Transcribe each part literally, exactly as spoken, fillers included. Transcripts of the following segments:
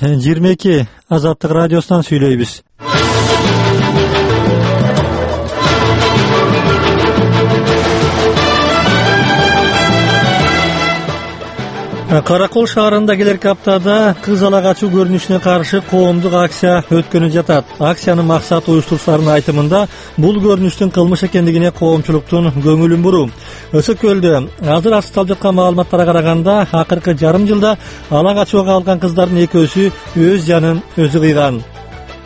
жыйырма эки Азаттык радиосунан сүйлөйбүз. Каракол шаарында келерки аптада кыз ала качуу көрүнүшүнө каршы коомдук акция өткөнүп жатат. Акциянын максаты уюштуруучулардын айтымында бул көрүнүштүн кылмыш экендигине коомчулуктун көңүлүн буруу. Өсөкөлдө азыр асталып жаткан маалыматтарга караганда акыркы жарым жылда ала качууга алган кыздардын экөөсү өз жанын өзү кыйган.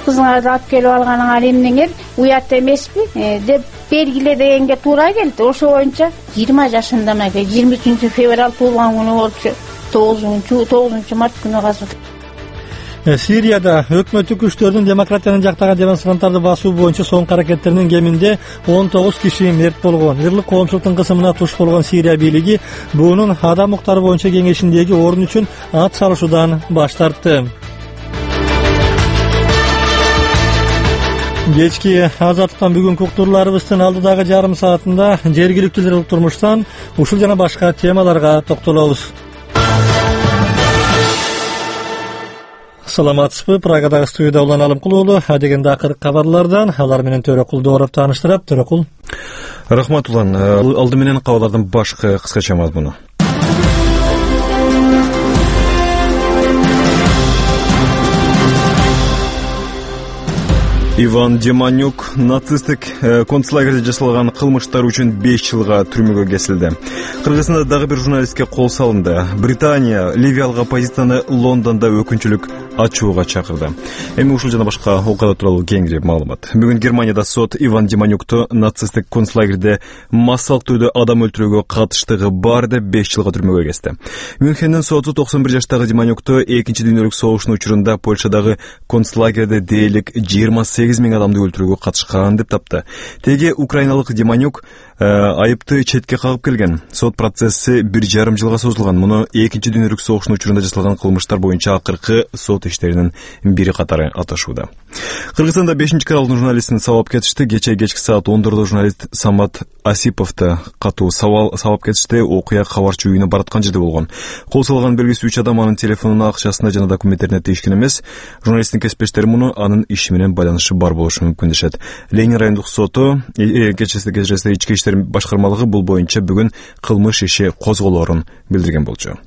Кызыңарды алып келип алганыңар эмнеңер уят эмеспи деп белгиле дегенге туура келди. Ошо боюнча жыйырма жашында мага жыйырма үчүнчү февраль туулган күнү болчу. тогузунчу март күнү казып. Сирияда өкмөттүк күчтөрдүн демократиянын жактаган демонстранттарды басуу боюнча соңку аракеттеринин кеминде он тогуз киши мерт болгон. Ырлык коомчулуктун кысымына туш болгон Сирия бийлиги буунун адам укуктары боюнча кеңешиндеги орун үчүн ат салышуудан баш тартты. Кечки Азаттыктан бүгүнкү уктурларыбыздын алдыдагы жарым саатында жергиликтүү турмуштан ушул жана башка темаларга токтолобуз. Саламатсызбы? Прагадагы студияда Улан Алымкул уулу. Адегенде акыркы кабарлардан алар менен Төрөкул Дооров тааныштырат. Төрөкул. Рахмат Улан. Алды менен кабарлардын башкы кыскача мазмуну. Иван Деманюк нацисттик концлагерде жасалган кылмыштар үчүн беш жылга түрмөгө кесилди. Кыргызстанда дагы бир журналистке кол салынды. Британия ливиялык оппозицияны Лондондо өкүнчүлүк ачууга чакырды. Эми ушул жана башка окуялар тууралуу кеңири маалымат. Бүгүн Германияда сот Иван Деманюкту нацисттик концлагерде массалык түрдө адам өлтүрүүгө катыштыгы бар деп беш жылга түрмөгө кести. Мюнхендин соту токсон бир жаштагы Деманюкту экинчи дүйнөлүк согуштун учурунда Польшадагы концлагерде дээрлик жыйырма сегиз миң адамды өлтүрүүгө катышкан деп тапты. Теге украиналык Деманюк айыпты четке кагып келген. Сот процесси бир жарым жылга созулган. Муну экинчи дүйнөлүк согуштун учурунда жасалган кылмыштар боюнча акыркы сот иштеринин бири катары аташууда. Кыргызстанда бешинчи каналдын журналистин сабап кетишти. Кече кечки саат он төрттө журналист Самат Асиповду катуу сабап кетишти. Окуя кабарчы үйүнө бараткан жерде болгон. Кол салган белгисиз үч адам анын телефонуна, акчасына жана документтерине тийишкен эмес. Журналисттин кесиптештери муну анын иши менен байланышы бар болушу мүмкүн дешет. Ленин райондук соту кечеси кечеси ички иштер башкармалыгы бул боюнча бүгүн кылмыш иши козголоорун билдирген болчу.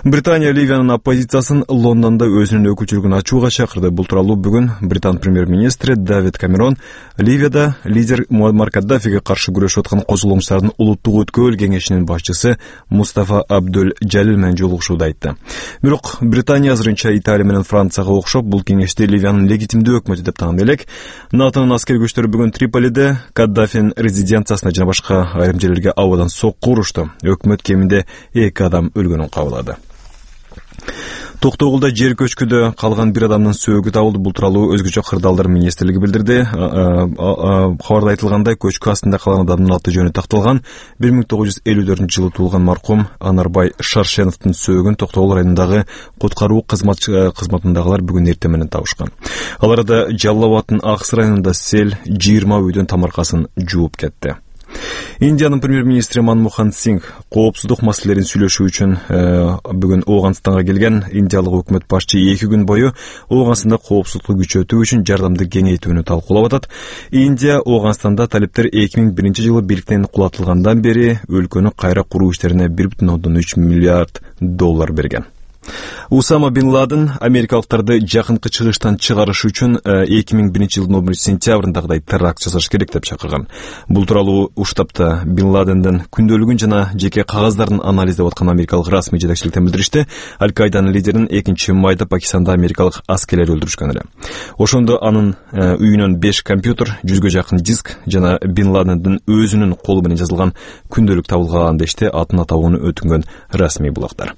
Британия Ливиянын оппозициясын Лондондо өзүнүн өкүлчүлүгүн ачууга чакырды. Бул тууралуу бүгүн Британ премьер-министри Давид Камерон Ливияда лидер Муаммар Каддафиге каршы күрөшүп аткан козголоңчулардын улуттук өткөл кеңешинин башчысы Мустафа Абдул Жалил менен жолугушууда айтты. Бирок Британия азырынча Италия менен Францияга окшоп бул кеңешти Ливиянын легитимдүү өкмөтү деп таанып элек. НАТОнун аскер күчтөрү бүгүн Триполиде Каддафинин резиденциясына жана башка айрым жерлерге абадан сокку урушту. Өкмөт кеминде эки адам өлгөнүн кабылады. Токтогулда жер көчкүдө калган бир адамдын сөөгү табылды. Бул тууралуу өзгөчө кырдаалдар министрлиги билдирди. Кабарда айтылгандай, көчкү астында калган адамдын аты жөнү такталган. бир миң тогуз жүз элүү төртүнчү жылы туулган маркум Анарбай Шаршеновдун сөөгүн Токтогул районундагы куткаруу кызматындагылар бүгүн эртең менен табышкан. Ал арада Жалал Абаддын Акс районунда сел жыйырма үйдүн тамаркасын жууп кетти. Индиянын премьер-министри Манмохан Сингх коопсуздук маселелерин сүйлөшүү үчүн бүгүн Ооганстанга келген. Индиялык өкмөт башчы эки күн бою Ооганстанда коопсуздукту күчөтүү үчүн жардамды кеңейтүүнү талкуулап атат. Индия Ооганстанда талептер эки миң биринчи жылы бийликтен кулатылгандан бери өлкөнү кайра куруу иштерине бир бүтүн ондон үч миллиард доллар берген. Усама Бин Ладен америкалыктарды жакынкы чыгыштан чыгарыш үчүн эки миң биринчи жылдын он биринчи сентябрындагыдай теракт жасаш керек деп чакырган. Бул тууралуу уштапта Бин Ладендин күндөлүгүн жана жеке кагаздарын анализдеп аткан америкалык расмий жетекчиликтен билдиришти. Аль-Кайданын лидерин экинчи майда Пакистанда америкалык аскерлер өлтүрүшкөн эле. Ошондо анын үйүнөн беш компьютер, жүзгө жакын диск жана Бин Ладендин өзүнүн колу менен жазылган күндөлүк табылган дешти атын атауну өтүнгөн расмий булактар.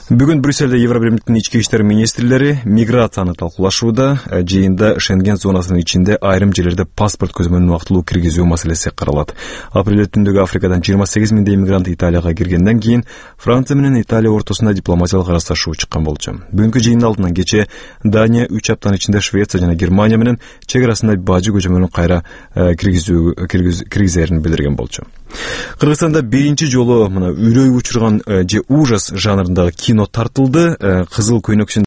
Бүгүн Брюссельде Евробиримдин ички иштер министрлери миграцияны талкуулашууда. Жыйында Шенген зонасынын ичинде айрым жерлерде паспорт көзөмөлүн убактылуу киргизүү маселеси каралат. Апрель түндөгү Африкадан жыйырма сегиз миңдей иммигрант Италияга киргенден кийин Франция менен Италия ортосунда дипломатиялык аралашуу чыккан болчу. Бүгүнкү жыйындын алдынан кече Дания үч аптанын ичинде Швеция жана Германия менен чек арасында бажы көзөмөлүн кайра киргизүү киргизерин билдирген болчу. Кыргызстанда биринчи жолу мына үрөй учурган же ужас жанрындагы кино тартылды. Кызыл көйнөкчүн